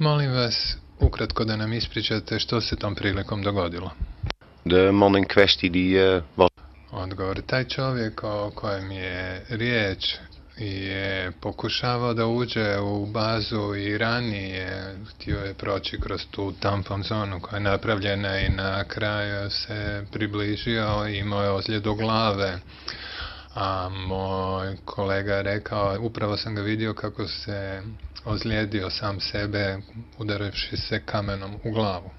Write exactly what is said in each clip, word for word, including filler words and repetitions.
Molim vas, ukratko da nam ispričate što se tom prilikom dogodilo. De man in kwestie die uh, was... Odgovor, taj čovjek o kojem je riječ je pokušavao da uđe u bazu i ranije htio je proći kroz tu tampon zonu koja je napravljena i na kraju se približio i imao je ozljedu glave. A moj kolega je rekao, upravo sam ga vidio kako se ozlijedio sam sebe udaravši se kamenom u glavu.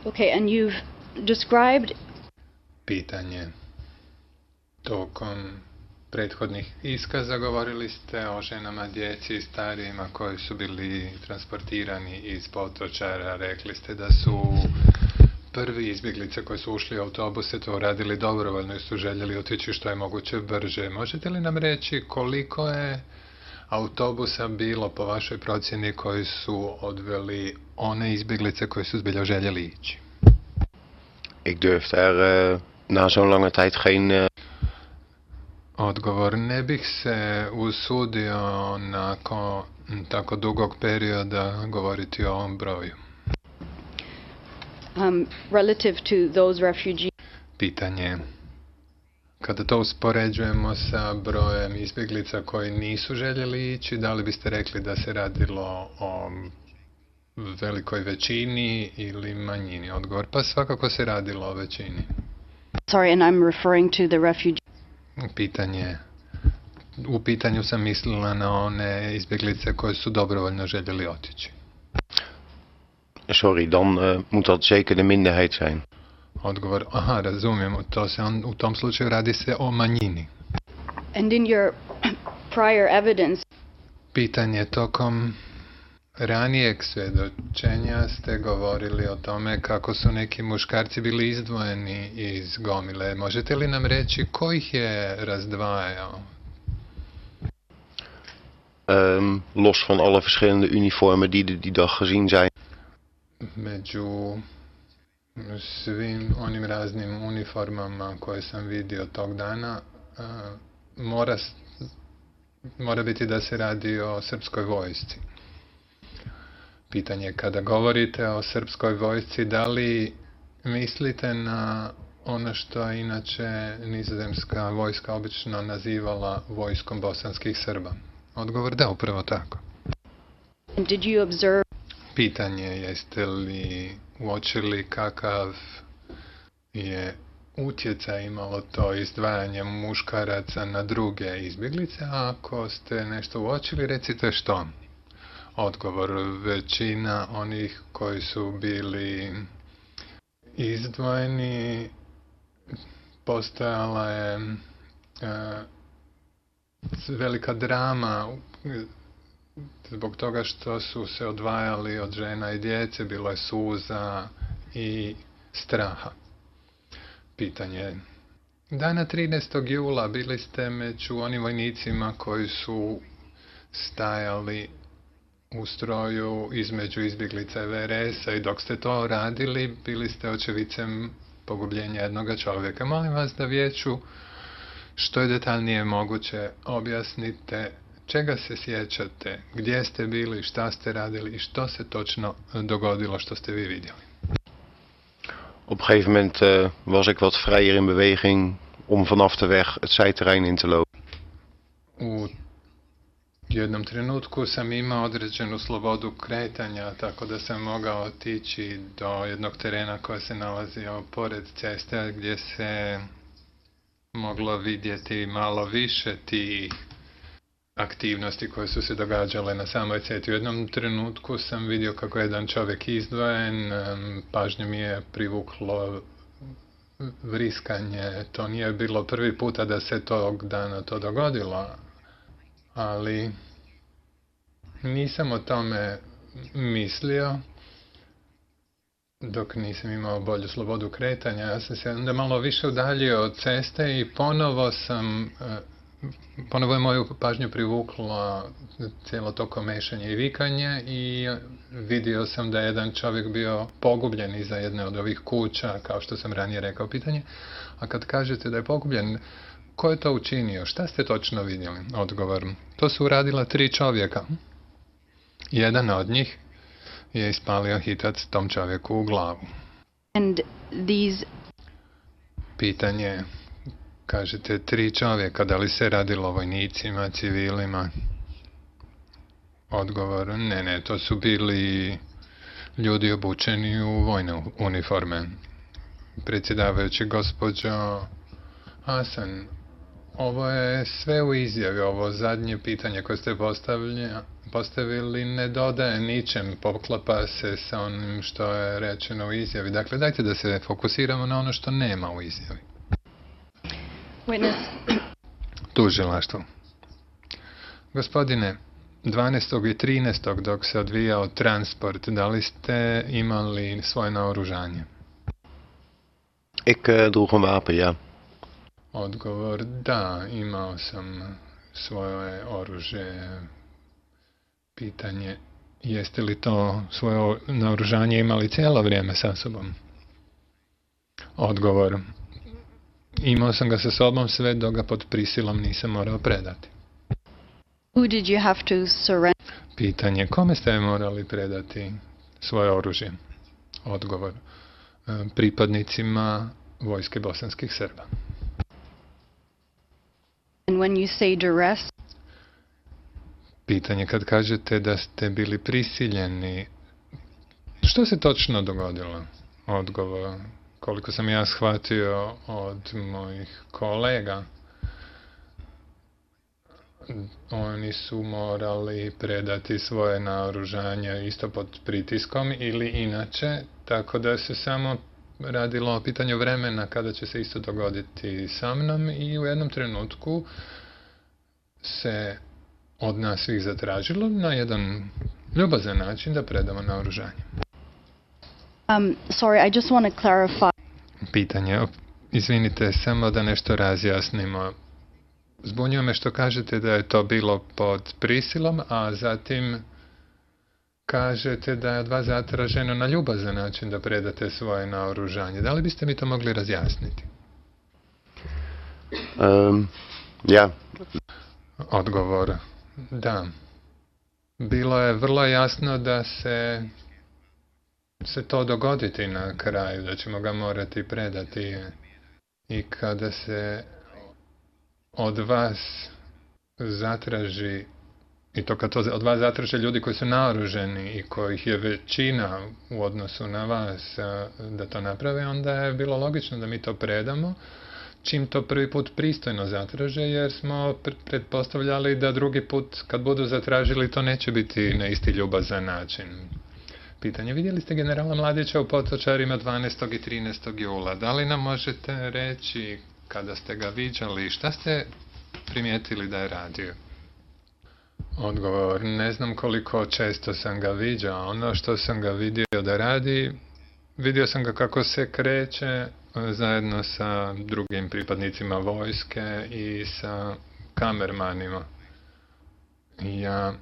Okay, and you've described... Pitanje. Tokom prethodnih iskaza govorili ste o ženama, djeci i starijima koji su bili transportirani iz Potočara. Rekli ste da su prvi izbjeglice koji su ušli u autobuse to radili dobrovoljno i su željeli otići što je moguće brže. Možete li nam reći koliko je autobusa bilo po vašoj procjeni koji su odveli one izbjeglice koji su zbilja željeli ići? Ik durf daar uh, na zo'n lange tijd geen... Uh... Odgovor, ne bih se usudio nakon tako dugog perioda govoriti o ovom broju. Um, relative to those refugees... Pitanje. Kada to uspoređujemo sa brojem izbjeglica koji nisu željeli ići, da li biste rekli da se radilo o velikoj većini ili manjini? Odgovor, pa svakako se radilo o većini. Sorry, and I'm referring to the refugee... Pitanje. U pitanju sam mislila na one izbjeglice koje su dobrovoljno željeli otići. Sorry, dan uh, moet dat zeker de minderheid zijn. Odgovor, aha, razumijemo, to se on, u tom slučaju radi se o manjini. And in your prior evidence... Pitanje, tokom ranijeg svjedočenja ste govorili o tome kako su neki muškarci bili izdvojeni iz gomile. Možete li nam reći ko ih je razdvajao? Um, los van alle verschillende uniformen die die dag gezien zijn. Među svim onim raznim uniformama koje sam vidio tog dana, uh, mora, mora biti da se radi o srpskoj vojsci. Pitanje, kada govorite o srpskoj vojsci, da li mislite na ono što je inače nizozemska vojska obično nazivala vojskom bosanskih Srba? Odgovor, da, upravo tako. Did you observe... Pitanje, jeste li uočili kakav je utjecaj imalo to izdvajanje muškaraca na druge izbjeglice? A ako ste nešto uočili, recite što. Odgovor, većina onih koji su bili izdvojeni postojala je e, velika drama zbog toga što su se odvajali od žena i djece, bilo je suza i straha. Pitanje. Dana trinaestog jula bili ste među onim vojnicima koji su stajali u stroju između izbjeglica V R S-a i dok ste to radili, bili ste očevicem pogubljenja jednoga čovjeka. Molim vas da vijeću što je detaljnije moguće objasnite čega se sjećate, gdje ste bili, šta ste radili i što se točno dogodilo što ste vi vidjeli. Op een gegeven moment uh, was ik wat vrijer in beweging om vanaf de weg het zijterrein in te lopen. U jednom trenutku sam imao određenu slobodu kretanja, tako da sam mogao otići do jednog terena koji se nalazio pored ceste gdje se moglo vidjeti malo više tih aktivnosti koje su se događale na samoj cesti. U jednom trenutku sam vidio kako je jedan čovjek izdvojen, pažnju mi je privuklo vriskanje. To nije bilo prvi puta da se tog dana to dogodilo, ali nisam o tome mislio dok nisam imao bolju slobodu kretanja. Ja sam se onda malo više udaljio od ceste i ponovo sam ponovo je moju pažnju privuklo cijelo to komešanje i vikanje i vidio sam da je jedan čovjek bio pogubljen iza jedne od ovih kuća, kao što sam ranije rekao. Pitanje, a kad kažete da je pogubljen, ko je to učinio? Šta ste točno vidjeli? Odgovor, to su uradila tri čovjeka. Jedan od njih je ispalio hitac tom čovjeku u glavu. And these Pitanje, kažete tri čovjeka, da li se radilo o vojnicima, civilima? Odgovor, ne, ne, to su bili ljudi obučeni u vojne uniforme. Predsjedavajući, gospođo Hasan, ovo je sve u izjavi, ovo zadnje pitanje koje ste postavili ne dodaje ničem, poklapa se sa onim što je rečeno u izjavi. Dakle, dajte da se fokusiramo na ono što nema u izjavi. witness, Tužilaštvo. Gospodine, dvanaestog i trinaestog dok se odvijao transport, da li ste imali svoje naoružanje? Ik uh, droeg een wapen, ja. Odgovor, da, imao sam svoje oružje. Pitanje, jeste li to svoje naoružanje imali cijelo vrijeme sa sobom? Odgovor, imao sam ga sa sobom sve dok ga pod prisilom nisam morao predati. who did you have to surrender? Pitanje, kome ste morali predati svoje oružje? Odgovor, pripadnicima vojske bosanskih Srba. And when you say duress, Pitanje, kad kažete da ste bili prisiljeni, što se točno dogodilo? Odgovor, koliko sam ja shvatio od mojih kolega, oni su morali predati svoje naoružanje isto pod pritiskom ili inače, tako da se samo radilo o pitanju vremena kada će se isto dogoditi sa mnom i u jednom trenutku se od nas svih zatražilo na jedan ljubazan način da predamo naoružanje. um, sorry, I just want to clarify. Pitanje, izvinite, samo da nešto razjasnimo. Zbunjuje me što kažete da je to bilo pod prisilom, a zatim kažete da je od vas zatraženo na ljubazan način da predate svoje naoružanje. Da li biste mi to mogli razjasniti? Um, ja. Odgovor, da. Bilo je vrlo jasno da se se to dogoditi na kraju, da ćemo ga morati predati. I kada se od vas zatraži, i to kad to od vas zatraže ljudi koji su naoruženi i kojih je većina u odnosu na vas da to naprave, onda je bilo logično da mi to predamo, čim to prvi put pristojno zatraže, jer smo pretpostavljali da drugi put kad budu zatražili to neće biti na isti ljubazan način. Pitanje, vidjeli ste generala Mladića u Potočarima dvanaestog i trinaestog jula. Da li nam možete reći kada ste ga viđali, šta ste primijetili da je radio? Odgovor, ne znam koliko često sam ga viđao. Ono što sam ga vidio da radi, vidio sam ga kako se kreće zajedno sa drugim pripadnicima vojske i sa kamermanima. Ja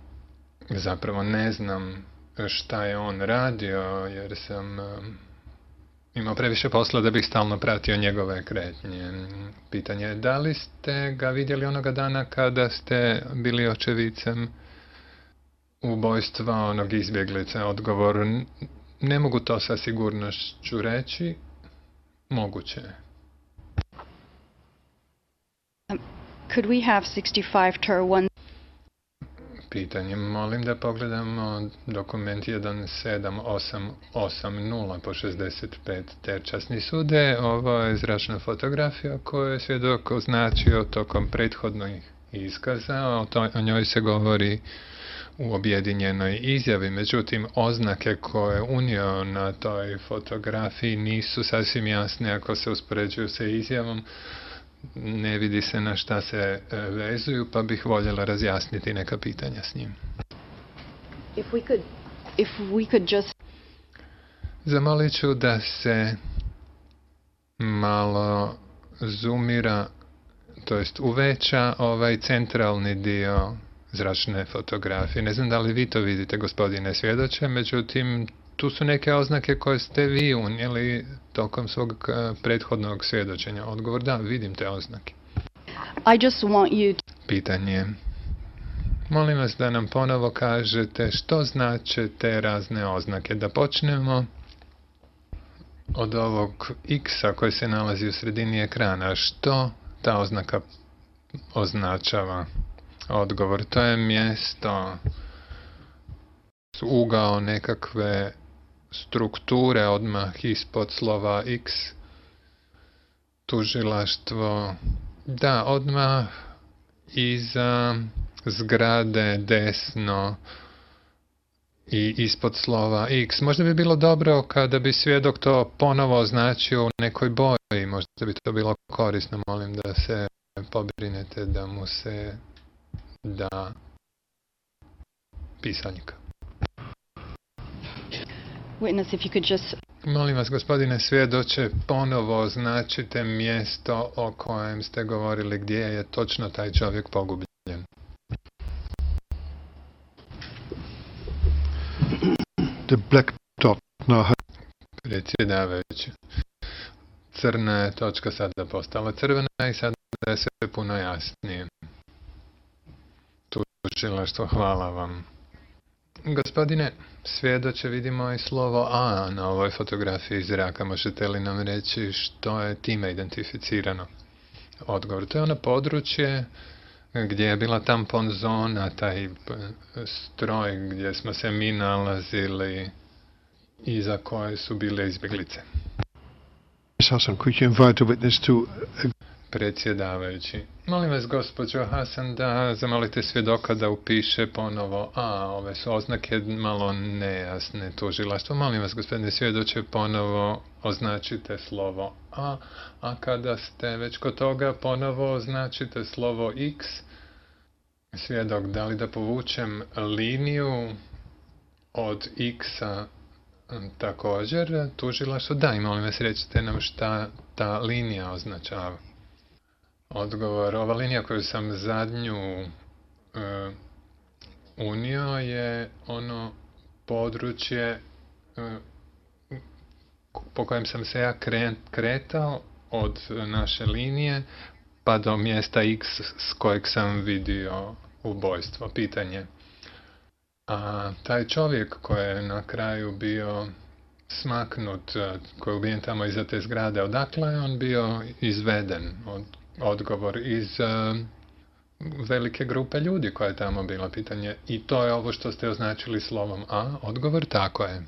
zapravo ne znam šta je on radio, jer sam imao previše posla da bih stalno pratio njegove kretnje. Pitanje je, da li ste ga vidjeli onoga dana kada ste bili očevicem ubojstva onog izbjeglica? Odgovor, ne mogu to sa sigurnošću reći, moguće je. Could we have sixty-five ter one? Pitanje, molim da pogledamo dokument jedan sedam osam osam nula po šezdeset pet ter časni sude. Ovo je zračna fotografija koju je svjedok označio tokom prethodnih iskaza. O, to, o njoj se govori u objedinjenoj izjavi. Međutim, oznake koje je unio na toj fotografiji nisu sasvim jasne ako se uspoređuju sa izjavom. Ne vidi se na šta se vezuju, pa bih voljela razjasniti neka pitanja s njim. If we could, if we could just... Zamolit ću da se malo zoomira, to jest uveća ovaj centralni dio zračne fotografije. Ne znam da li vi to vidite, gospodine svjedoče, međutim, tu su neke oznake koje ste vi unijeli tokom svog prethodnog svjedočenja. Odgovor, da, vidim te oznake. I just want you to... Pitanje. Molim vas da nam ponovo kažete što znače te razne oznake. Da počnemo od ovog X-a koji se nalazi u sredini ekrana. Što ta oznaka označava? Odgovor, to je mjesto, ugao nekakve strukture odmah ispod slova X. Tužilaštvo, da, odmah iza zgrade desno i ispod slova X. Možda bi bilo dobro kada bi svjedok to ponovo označio u nekoj boji. Možda bi to bilo korisno. Molim da se pobrinete da mu se da pisaljka. Witness, if you could just... Molim vas, gospodine svjedoče, ponovo označite mjesto o kojem ste govorili, gdje je točno taj čovjek pogubljen. The black dot now. Predsjedavajući. Crna je točka sada postala crvena i sada je sve puno jasnije. Tužilaštvo, hvala vam. Gospodine svjedoče, vidimo i slovo A na ovoj fotografiji zraka. Možete li nam reći što je time identificirano? Odgovor, to je ono područje gdje je bila tampon zona, taj stroj gdje smo se mi nalazili i za koje su bile izbjeglice. Miss Hassan, could you invite the witness to... Predsjedavajući, molim vas, gospođo Hasan, da zamolite svjedoka da upiše ponovo A. Ove su oznake malo nejasne. Tužilaštvo, molim vas, gospodine svjedoče, ponovo označite slovo A, a kada ste već kod toga, ponovo označite slovo X. Svjedok, da li da povučem liniju od X-a također? Tužilaštvo, da, i molim vas, recite nam šta ta linija označava. Odgovor, ova linija koju sam zadnju e, unio je ono područje e, po kojem sam se ja kretao od naše linije pa do mjesta X s kojeg sam vidio ubojstvo. Pitanje. A taj čovjek koji je na kraju bio smaknut, koji je ubijen tamo iza te zgrade, odakle je on bio izveden? Od Odgovor, iz uh, velike grupe ljudi koja je tamo bila. Pitanje, i to je ovo što ste označili slovom A? Odgovor, tako je.